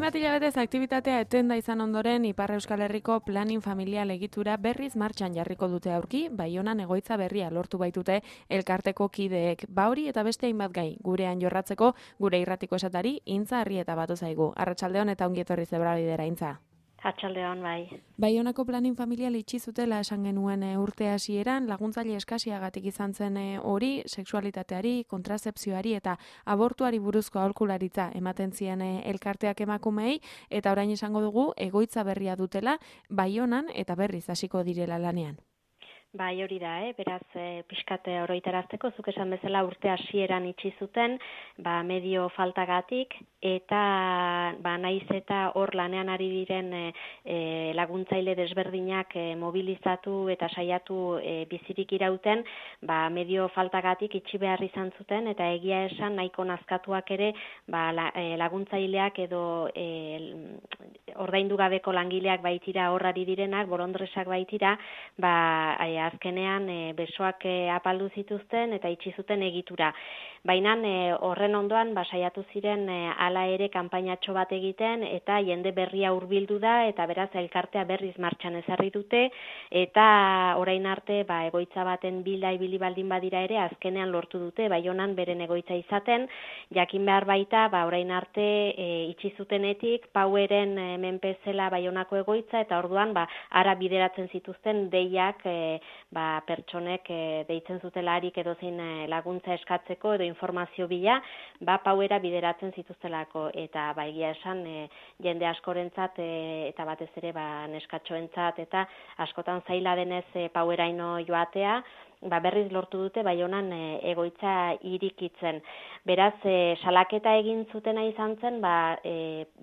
bat hilabetez aktibitatea etenda izan ondoren Ipar Euskal Herriko planin familial egitura berriz martxan jarriko dute aurki, Baionan egoitza berria lortu baitute elkarteko kideek. Hori eta beste hainbat gai gurean jorratzeko gure irratiko esatari Intza Arrieta batu zaigu. Arratsaldeon eta ongi etorri Zebrabidera, Intza. Atxaldeon, bai. Baionako planin familial itxi zutela esan genuen urte hasieran, laguntzaile eskasiagatik izan zen hori, sexualitateari, kontrasepzioari eta abortuari buruzko aholkularitza ematen zien elkarteak emakumei, eta orain esango dugu egoitza berria dutela Baionan eta berriz hasiko direla lanean. Bai, hori da, beraz, pixkate oroitarazteko, zuk esan bezala urte hasieran itxi zuten, medio faltagatik, eta naiz eta hor lanean ari diren laguntzaile desberdinak mobilizatu eta saiatu bizirik irauten, medio faltagatik itxi behar izan zuten, eta egia esan nahiko nazkatuak ere laguntzaileak edo ordaindu gabeko langileak baitira horrari direnak, bolondresak baitira, azkenean besoak apaldu zituzten eta itxi zuten egitura. Baina horren ondoan saiatu ziren hala ere kanpainatxo bat egiten eta jende berria hurbildu da eta beraz elkartea berriz martxan ezarri dute eta orain arte egoitza baten bila ibili baldin badira ere azkenean lortu dute Baionan beren egoitza izaten, jakin behar baita orain arte itxi zutenetik Poweren menpezela Baionako egoitza eta orduan ara bideratzen zituzten deiak pertsonek deitzen zutelarik edozein laguntza eskatzeko edo informazio bila, Powera bideratzen zituztelako eta egia esan jende askorentzat eta batez ere neskatxoentzat eta askotan zaila denez Poweraino joatea, berriz lortu dute Baionan egoitza irikitzen. Beraz, salaketa egin zutena izan zen,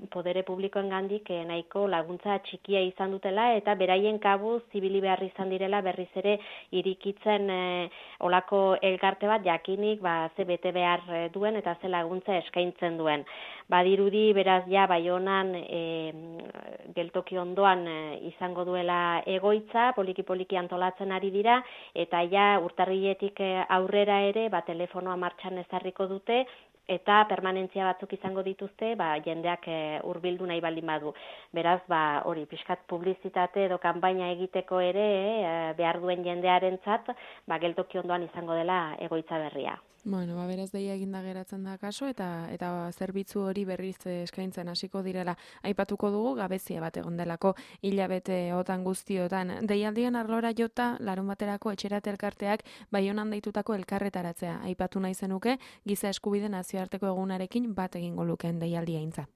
podere publikoen gandik nahiko laguntza txikia izan dutela eta beraien kabuz zibili behar izan direla berriz ere irikitzen olako elkarte bat jakinik ze bete behar duen eta ze laguntza eskaintzen duen. Badirudi beraz Baionan geltoki ondoan izango duela egoitza, poliki-poliki antolatzen ari dira eta urtarriletik aurrera ere telefonoa martxan ezarriko dute eta permanentzia batzuk izango dituzte jendeak hurbildu nahi baldin badu. Beraz, hori pixkat publizitate edo kanpaina egiteko ere behar duen jendearentzat geltoki ondoan izango dela egoitza berria. Bueno, beraz deia eginda geratzen da kaso eta zerbitzu hori berriz eskaintzen hasiko direla. Aipatuko dugu gabezia bat egon delako hilabete otan guztiotan. Deialdien arlora jota larunbaterako etxerat elkarteak Baionan deitutako elkarretaratzea. Aipatu nahi zenuke giza eskubide nazioarteko egunarekin bat egingo lukeen deialdia, Intza.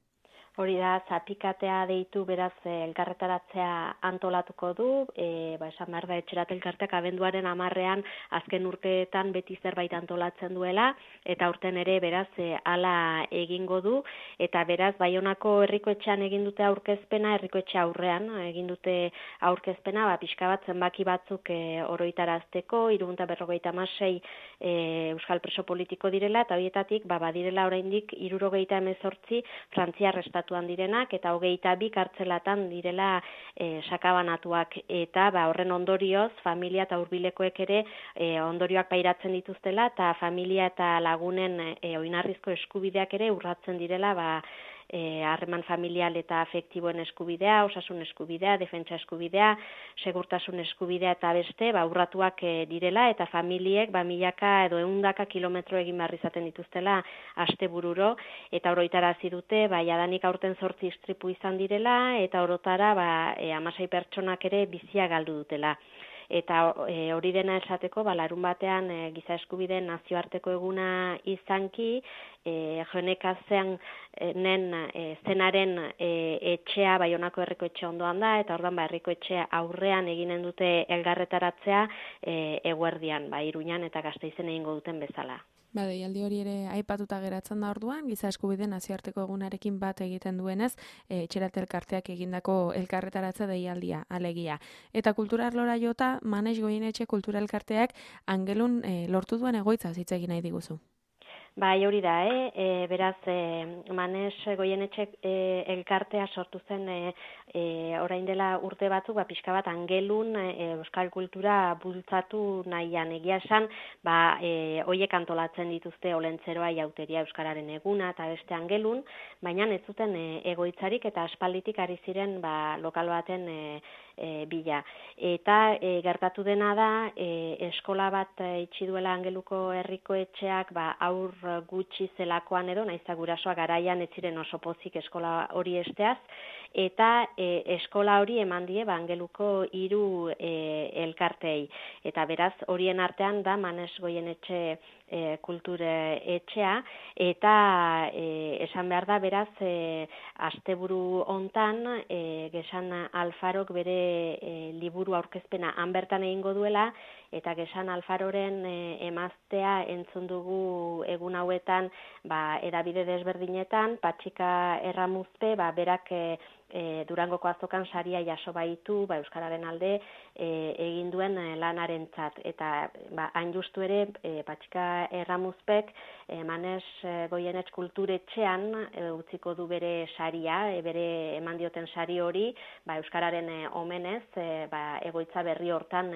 Hori da, zapikatea deitu beraz elkarretaratzea antolatuko du, esan behar da etxerat elkarteak abenduaren 10ean azken urteetan beti zerbait antolatzen duela, eta urten ere beraz hala egingo du, eta beraz Baionako herrikoetxean egin dute aurkezpena, herrikoetxe aurrean egin dute aurkezpena, pixka bat zenbaki batzuk oroitarazteko, 356 euskal preso politiko direla, eta horietatik badirela oraindik 78 frantziar estatuan direnak eta 22 kartzelatan direla sakabanatuak eta horren ondorioz familia eta hurbilekoek ere ondorioak pairatzen dituztela eta familia eta lagunen oinarrizko eskubideak ere urratzen direla harreman familial eta afektiboen eskubidea, osasun eskubidea, defentsa eskubidea, segurtasun eskubidea eta beste, urratuak direla eta familiek milaka edo 100 kilometro egin behar izaten dituztela astebururo eta oroitarazi dute, jadanik aurten 8 istripu izan direla eta orotara 16 pertsonak ere bizia galdu dutela. Eta hori dena esateko, larunbatean giza eskubideen nazioarteko eguna izanki, Jonekazen zenaren etxea Baionako herrikoetxe ondoan da, eta orduan herrikoetxe aurrean eginen dute elgarretaratzea eguerdian, Iruñan eta Gasteizen egingo duten bezala. Deialdi hori ere aipatuta geratzen da orduan, giza eskubide nazioarteko egunarekin bat egiten duenez, etxerat elkarteak egindako elkarretaratze deialdia, alegia. Eta kultura arlora jota, Manes Goienetxe kultura elkarteak Angelun lortu duen egoitza hitz egin nahi diguzu. Bai, hori da, beraz, Manes Goienetxe elkartea sortu zen orain dela urte batzuk, pixka bat angelun euskal kultura bultzatu nahian. Egia esan, hoiek antolatzen dituzte olentzeroa jauteria euskararen eguna eta beste angelun, baina ez zuten egoitzarik eta aspalditik ari ziren lokal baten bila. Eta gertatu dena da, eskola bat itxi duela Angeluko herriko etxeak aur gutxi zelakoan edo, naiz gurasoak garaian ez ziren oso pozik eskola hori esteaz, eta eskola hori eman die Angeluko 3 elkartei. Eta beraz, horien artean da Manes Goienetxe kultur etxea, eta esan behar da, beraz, asteburu hontan Gesan Alfarok bere liburu aurkezpena han bertan egingo duela, eta Gesan Alfaroren emaztea entzun dugu egun hauetan edabide desberdinetan, Patxika Erramuzpe, berak Durangoko azokan saria jaso baitu euskararen alde egin duen lanarentzat, eta hain justu ere Patxika Erramuzpek Manes Goienetxe kulturetxean utziko du bere saria, bere eman dioten sari hori euskararen omenez egoitza berri hortan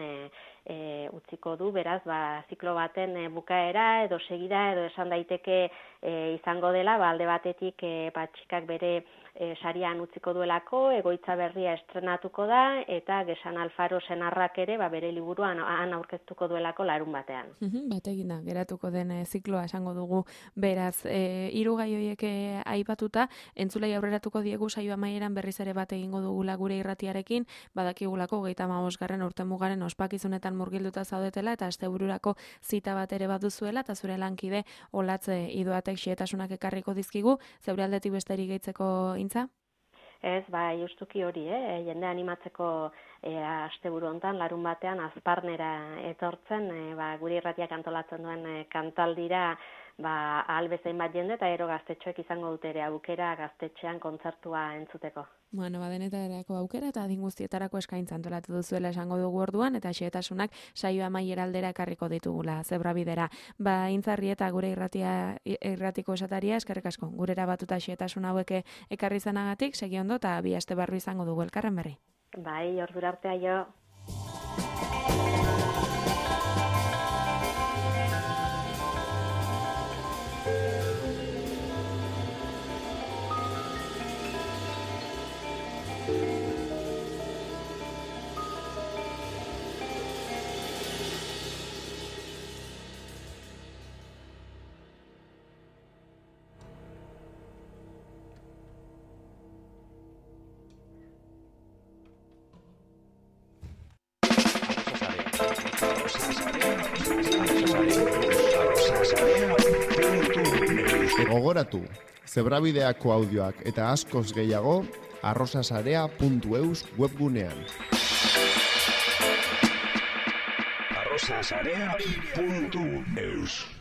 utziko du, beraz, ziklo baten bukaera edo segida edo esan daiteke izango dela, alde batetik Patxikak bere sarian utziko duelako, egoitza berria estrenatuko da, eta Gesan Alfaro senarrak ere bere liburuan han aurkeztuko duelako larun batean. Bategin da, geratuko den zikloa esango dugu, beraz, 3 gai horiek aipatuta, entzulei aurreratuko diegu saio amaieran berriz ere bat egingo dugula gure irratiarekin, badakigulako 35. urtemugaren ospakizunetan murgilduta zaudetela, eta astebururako zita bat ere baduzuela, eta zure lankide Olatze Idoatek xehetasunak ekarriko dizkigu, zeure aldetik besterik gehitzeko intza? Ez, justuki hori, jende animatzeko asteburu hontan, larun batean, azparnera etortzen, gure irratiak antolatzen duen kantaldira, ahal bezain bat jende, eta ero gaztetxoek izango dute ere aukera gaztetxean kontzertua entzuteko. Bueno, denetarako aukera eta adin guztietarako eskaintza antolatu duzuela esango dugu orduan, eta xehetasunak saio amaiera aldera ekarriko ditugula, Zebrabidera. Intzarri eta gure irratiko esataria, eskerrik asko, gurera batuta xehetasun hauek ekarri zanagatik, segi ondo, eta bi aste barru izango dugu elkarren berri. Ordura artea jo. Gogoratu, Zebrabideako audioak eta askoz gehiago arrosasarea.eus webgunean. arrosasarea.eus